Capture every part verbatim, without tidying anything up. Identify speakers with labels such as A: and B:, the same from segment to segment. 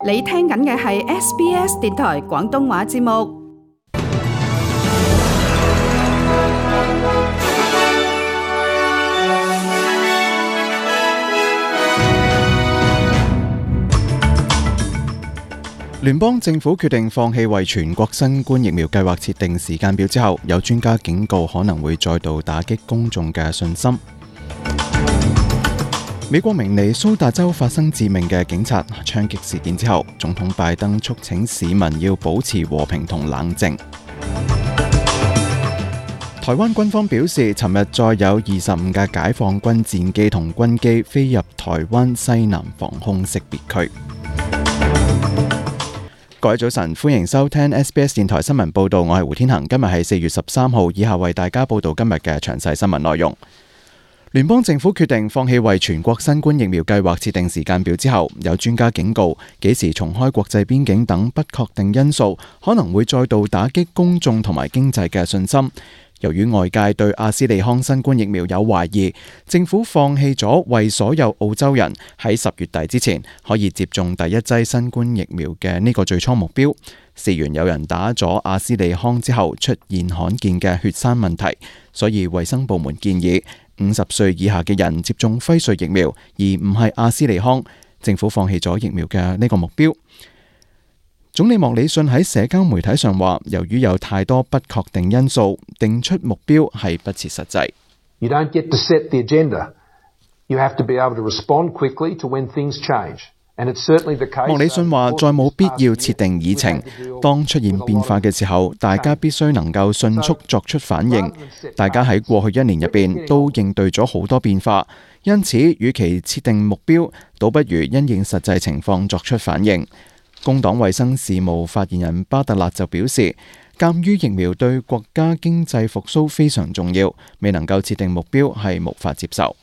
A: 你聽緊嘅係 S B S 電台廣東話節目。
B: 聯邦政府決定放棄為全國新冠疫苗計劃設定時間表之後，有專家警告可能會再度打擊公眾嘅信心。美國明尼蘇達州發生致命嘅警察槍擊事件之後，總統拜登促請市民要保持和平同冷靜。台灣軍方表示，尋日再有二十五架解放軍戰機同軍機飛入台灣西南防空識別區。各位早晨，歡迎收聽 S B S 電台新聞報道，我係胡天恒。今日係四月十三號，以下為大家報道今日嘅詳細新聞內容。聯邦政府決定放棄為全國新冠疫苗計劃設定時間表之後，有專家警告，幾時重開國際邊境等不確定因素，可能會再度打擊公眾同埋經濟嘅信心。由於外界對阿斯利康新冠疫苗有懷疑，政府放棄咗為所有澳洲人喺十月底之前可以接種第一劑新冠疫苗嘅呢個最初目標。事源有人打咗阿斯利康之後出現罕見嘅血栓問題，所以衛生部門建議五十歲以下嘅人接種輝瑞疫苗，而唔係阿斯利康。政府放棄咗疫苗嘅呢個目標。總理莫里遜喺社交媒體上話，由於有太多不確定因素，定出目標係不切實際。
C: You don't get to set the agenda. You have to be able to respond quickly to when things change. And it's certainly the case.
B: 莫里遜話，再冇必要設定議程。當出現變化嘅時候，大家必須能夠迅速作出反應。大家喺過去一年入邊都應對咗好多變化，因此，與其設定目標，倒不如因應實際情況作出反應。工黨衛生事務發言人巴特勒就表示，鑑於疫苗對國家經濟復甦非常重要，未能夠設定目標係無法接受。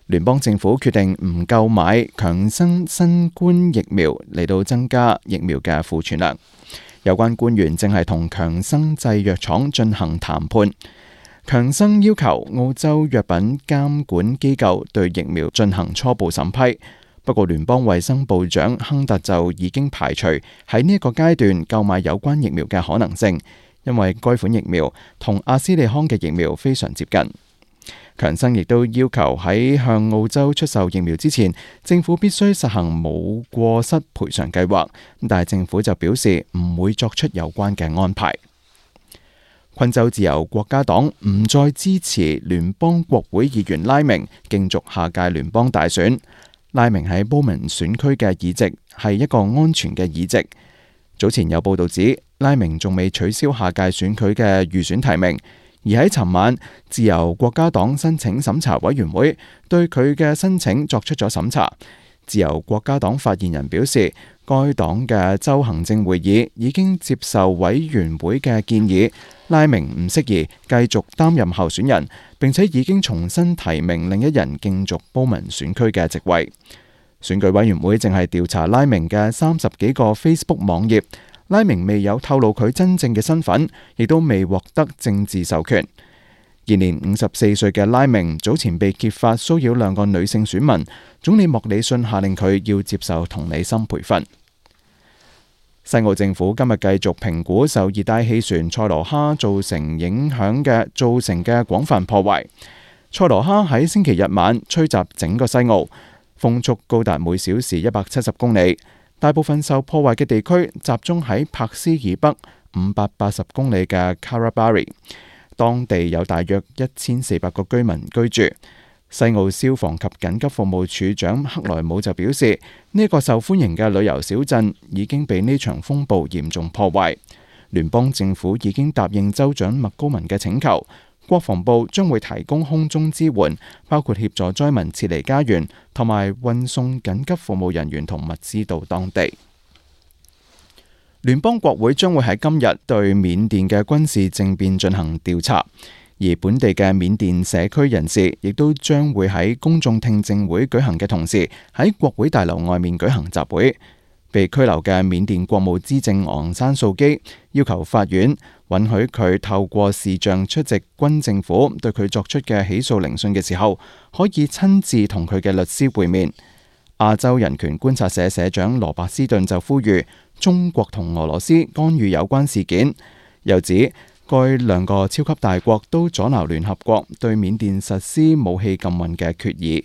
B: 聯邦政府決定唔購買強生新冠疫苗嚟到增加疫苗嘅庫存量。有關官員正係同強生製藥廠進行談判。強生要求澳洲藥品監管機構對疫苗進行初步審批。不過，聯邦衛生部長亨特就已經排除喺呢一個階段購買有關疫苗嘅可能性，因為該款疫苗同阿斯利康嘅疫苗非常接近。強生亦都要求喺向澳洲出售疫苗之前，政府必須實行冇過失賠償計劃，但係政府就表示唔會作出有關嘅安排。昆州自由國家黨唔再支持聯邦國會議員拉明競逐下屆聯邦大選。拉明喺波文選區嘅議席係一個安全嘅議席。早前有報道指，拉明仲未取消下屆選區嘅預選提名，而喺尋晚，自由國家黨申請審查委員會對佢嘅申請作出咗審查。自由國家黨發言人表示，該黨嘅州行政會議已經接受委員會嘅建議，拉明唔適宜繼續擔任候選人，並且已經重新提名另一人競逐波文選區嘅席位。選舉委員會正係調查拉明嘅三十幾個 Facebook 網頁，拉明未有透露佢真正嘅身份，亦都未獲得政治授權。現年五十四歲嘅拉明早前被揭發騷擾兩個女性選民，總理莫里遜下令佢要接受同理心培訓。西澳政府今日繼續評估受熱帶氣旋塞羅哈造成影響嘅造成嘅廣泛破壞。塞羅哈喺星期日晚吹襲整個西澳，風速高達每小時一百七十公里。大部分受破壞嘅地區集中喺柏斯以北五百八十公里嘅 Carabari， 當地有大約一千四百個居民居住。西澳消防及緊急服務處長克萊姆就表示，呢、這個受歡迎嘅旅遊小鎮已經被呢場風暴嚴重破壞。聯邦政府已經答應州長麥高文嘅請求，國防部將會提供空中支援，包括協助災民撤離家園，同埋運送緊急服務人員同物資到當地。聯邦國會將會喺今日對緬甸嘅軍事政變進行調查。而本地嘅緬甸社區人士亦都將會喺公眾聽證會舉行嘅同時，喺國會大樓外面舉行集會。被拘留嘅緬甸國務資政昂山素基要求法院允許佢透過視像出席軍政府對佢作出嘅起訴聆訊嘅時候，可以親自同佢嘅律師會面。亞洲人權觀察社社長羅伯斯頓就呼籲中國同俄羅斯干預有關事件，又指該兩個超級大國都阻撓聯合國對緬甸實施武器禁運嘅決議。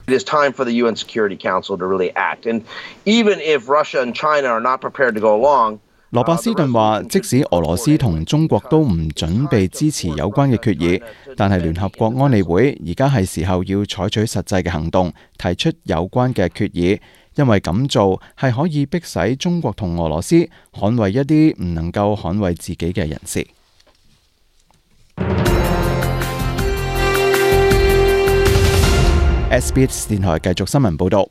D: It is time for the U N Security Council to really act. And even if Russia and China are not prepared to go along,
B: 羅伯斯頓話，即使俄羅斯同中國都唔準備支持有關嘅決議，但係聯合國安理會而家係時候要採取實際嘅行動，提出有關嘅決議，因為咁做係可以迫使中國同俄羅斯捍衛一啲唔能夠捍衛自己嘅人士。S B S 電台繼續新聞報導。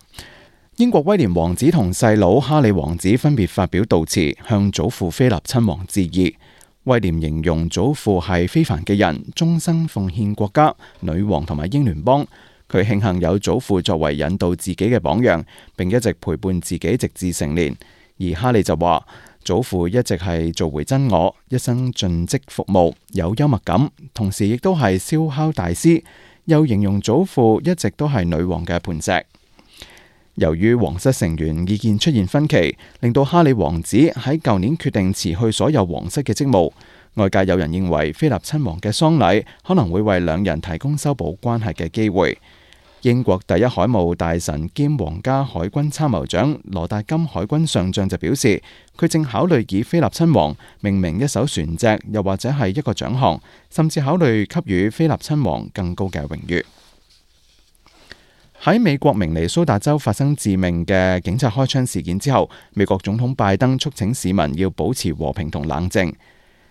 B: 英國威廉王子同細佬哈里王子分別發表悼詞，向祖父菲立親王致意。威廉形容祖父係非凡嘅人，終生奉獻國家、女王同埋英聯邦。佢慶幸有祖父作為引導自己嘅榜樣，並一直陪伴自己直至成年。而哈利就話，祖父一直係做回真我，一生盡職服務，有幽默感，同時亦都係燒烤大師。又形容祖父一直都係女王嘅磐石。由於皇室成員意見出現分歧，令到哈里王子喺舊年決定辭去所有皇室嘅職務。外界有人認為菲立親王嘅喪禮可能會為兩人提供修補關係嘅機會。英國第一海務大臣兼皇家海軍參謀長羅達金海軍上將就表示，佢正考慮以菲立親王命名一艘船隻，又或者係一個獎項，甚至考慮給予菲立親王更高嘅榮譽。喺美國明尼蘇達州發生致命嘅警察開槍事件之後，美國總統拜登促請市民要保持和平同冷靜。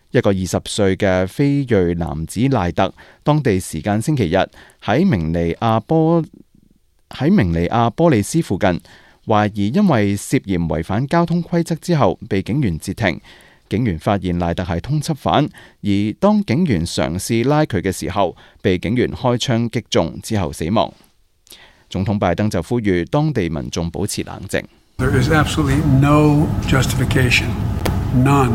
B: 一個二十歲嘅非裔男子賴特，當地時間星期日喺明尼亞波喺明尼亞波利斯附近，懷疑因為涉嫌違反交通規則之後被警員截停。警員發現賴特係通緝犯，而當警員嘗試拉佢嘅時候，被警員開槍擊中之後死亡。總統拜登就呼籲當地民眾保持冷靜。
E: There is absolutely no justification, none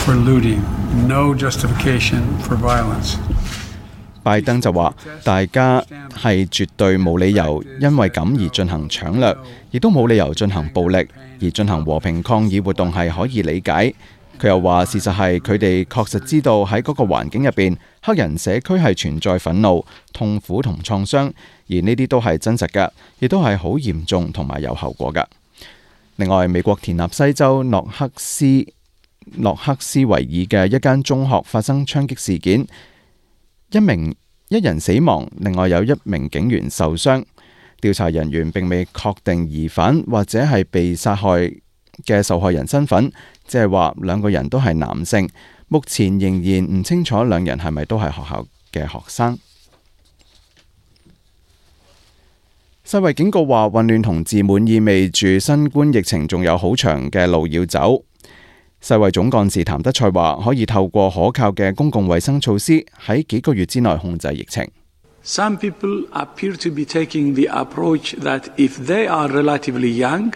E: for looting, no justification for violence.
B: 拜登就話：大家係絕對冇理由因為咁而進行搶掠，亦都冇理由進行暴力，而進行和平抗議活動係可以理解。佢又話：事實係佢哋確實知道喺嗰個環境入邊，黑人社區係存在憤怒、痛苦同創傷，而呢啲都係真實嘅，亦都係好嚴重同埋有後果嘅。另外，美國田納西州諾克斯諾克斯維爾嘅一間中學發生槍擊事件，一名一人死亡，另外有一名警員受傷。調查人員並未確定疑犯或者係被殺害嘅受害人身份，即係話兩個人都係男性。目前仍然唔清楚兩人係咪都係學校嘅學生。世衛警告話，混亂同自滿意味住新冠疫情仲有好長嘅路要走。世衛總幹事譚德塞話，可以透過可靠嘅公共衛生措施喺幾個月之內控制疫情。
F: Some people appear to be taking the approach that if they are relatively young,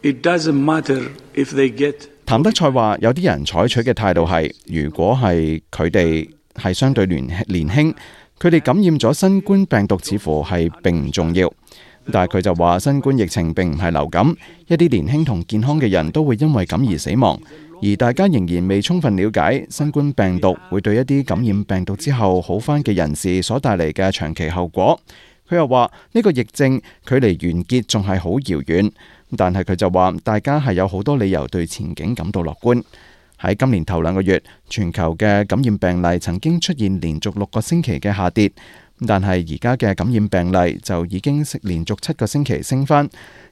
F: it doesn't matter if they get。
B: 譚德塞話，有啲人採取嘅態度係，如果係佢哋係相對年年輕，佢哋感染咗新冠病毒似乎係並唔重要。但係佢就話，新冠疫情並唔係流感，一啲年輕同健康嘅人都會因為咁而死亡，而大家仍然未充分了解新冠病毒會對一啲感染病毒之後好返嘅人士所帶嚟嘅長期後果。佢又話，呢個疫症距離完結仲係好遙遠，但係佢就話大家係有好多理由對前景感到樂觀。喺今年頭兩個月，全球嘅感染病例曾經出現連續六個星期嘅下跌，但係而家嘅感染病例就已經連續七個星期升返，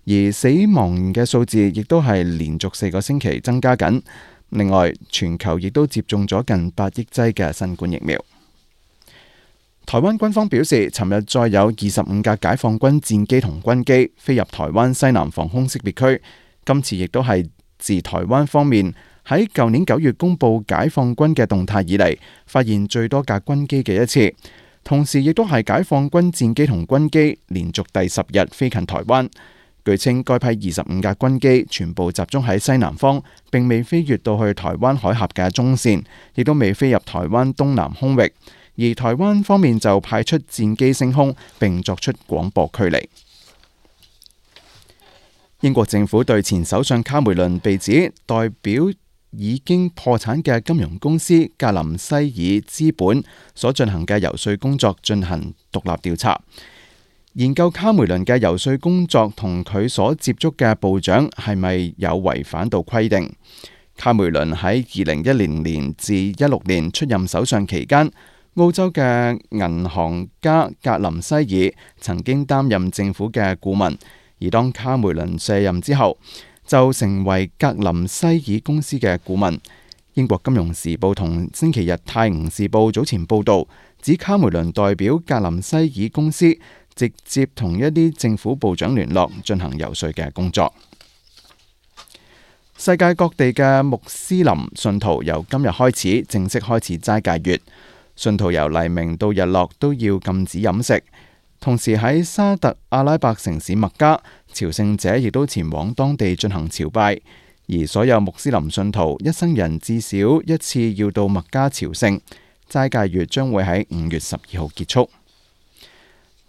B: 而死亡嘅數字亦都係連續四個星期增加緊。另外，全球亦都接種咗近八億劑嘅新冠疫苗。台灣軍方表示，尋日再有二十五架解放軍戰機同軍機飛入台灣西南防空識別區，今次亦都係自台灣方面喺舊年九月公布解放軍嘅動態以嚟，發現最多架軍機嘅一次，同時亦都係解放軍戰機同軍機連續第十日飛近台灣。據稱，該批二十五架軍機全部集中喺西南方，並未飛越到去台灣海峽嘅中線，亦都未飛入台灣東南空域。而台灣方面就派出戰機升空，並作出廣播驅離。英國政府對前首相卡梅倫被指代表已經破產嘅金融公司格林西爾資本所進行嘅游說工作進行獨立調查，研究卡梅倫嘅游說工作同佢所接觸嘅部長係咪有違反到規定。卡梅倫喺二零一零年至一六年出任首相期間，澳洲嘅銀行家格林西爾曾經擔任政府嘅顧問，而當卡梅倫卸任之後，就成為格林西爾公司嘅顧問。英國金融時報同星期日泰晤士報早前報道，指卡梅倫代表格林西爾公司直接同一啲政府部長聯絡，進行游說嘅工作。世界各地嘅穆斯林信徒由今日開始正式開始齋戒月，信徒由黎明到日落都要禁止飲食。同時喺沙特阿拉伯城市麥加，朝聖者亦都前往當地進行朝拜，而所有穆斯林信徒一生人至少一次要到麥加朝聖。齋戒月將會喺五月十二號結束。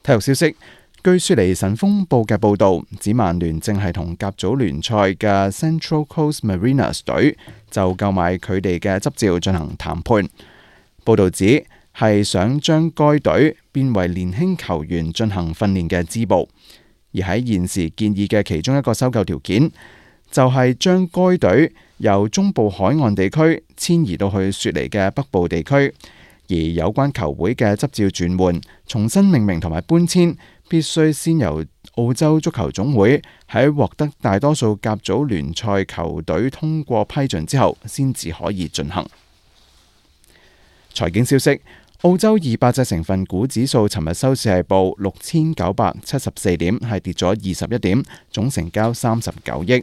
B: 體育消息，據雪梨晨鋒報嘅報導，指曼聯正係同甲組聯賽嘅 Central Coast Mariners 隊就購買佢哋嘅執照進行談判。報導指係想將該隊變為年輕球員進行訓練嘅支部，而喺現時建議嘅其中一個收購條件，就係將該隊由中部海岸地區遷移到去雪梨嘅北部地區，而有關球會嘅執照轉換、重新命名同埋搬遷，必須先由澳洲足球總會喺獲得大多數甲組聯賽球隊通過批准之後，先至可以進行。財經消息。澳洲二百隻成分股指數尋日收市係報六千九百七十四點，係跌咗二十一點，總成交三十九億。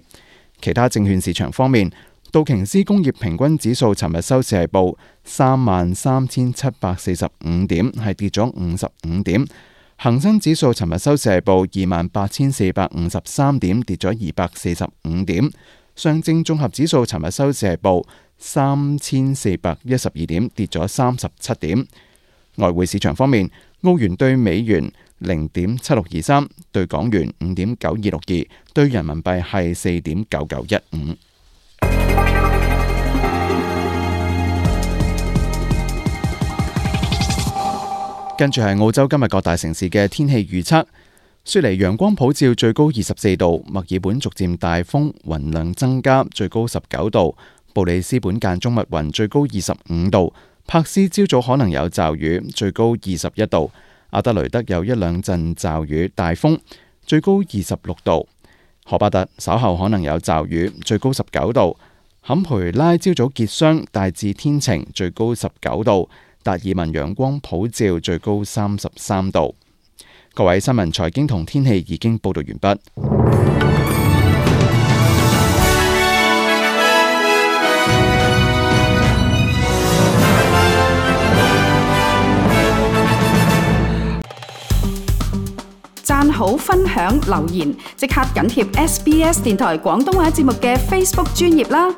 B: 其他證券市場方面，道瓊斯工業平均指數尋日收市係報三萬三千七百四十五點，係跌咗五十五點。恒生指數尋日收市係報二萬八千四百五十三點，跌咗二百四十五點。上證綜合指數尋日收市係報三千四百一十二點，跌咗三十七點。外匯市場方面，澳元兌美元零點七六二三，兌港元五點九二六二，兌人民幣係四點九九一五。跟住係澳洲今日各大城市嘅天氣預測：雪梨陽光普照，最高二十四度；墨爾本逐漸大風，雲量增加，最高十九度；布里斯本間中密雲，最高二十五度。柏斯朝早可能有驟雨，最高二十一度；阿德雷德有一兩陣驟雨，大風，最高二十六度；荷巴特稍後可能有驟雨，最高十九度；坎培拉朝早結霜，大致天晴，最高十九度；達爾文陽光普照，最高三十三度。各位新聞財經同天氣已經報道完畢。
A: 讚好、分享、留言，即刻緊貼 S B S 電台廣東話節目嘅 Facebook 專頁啦！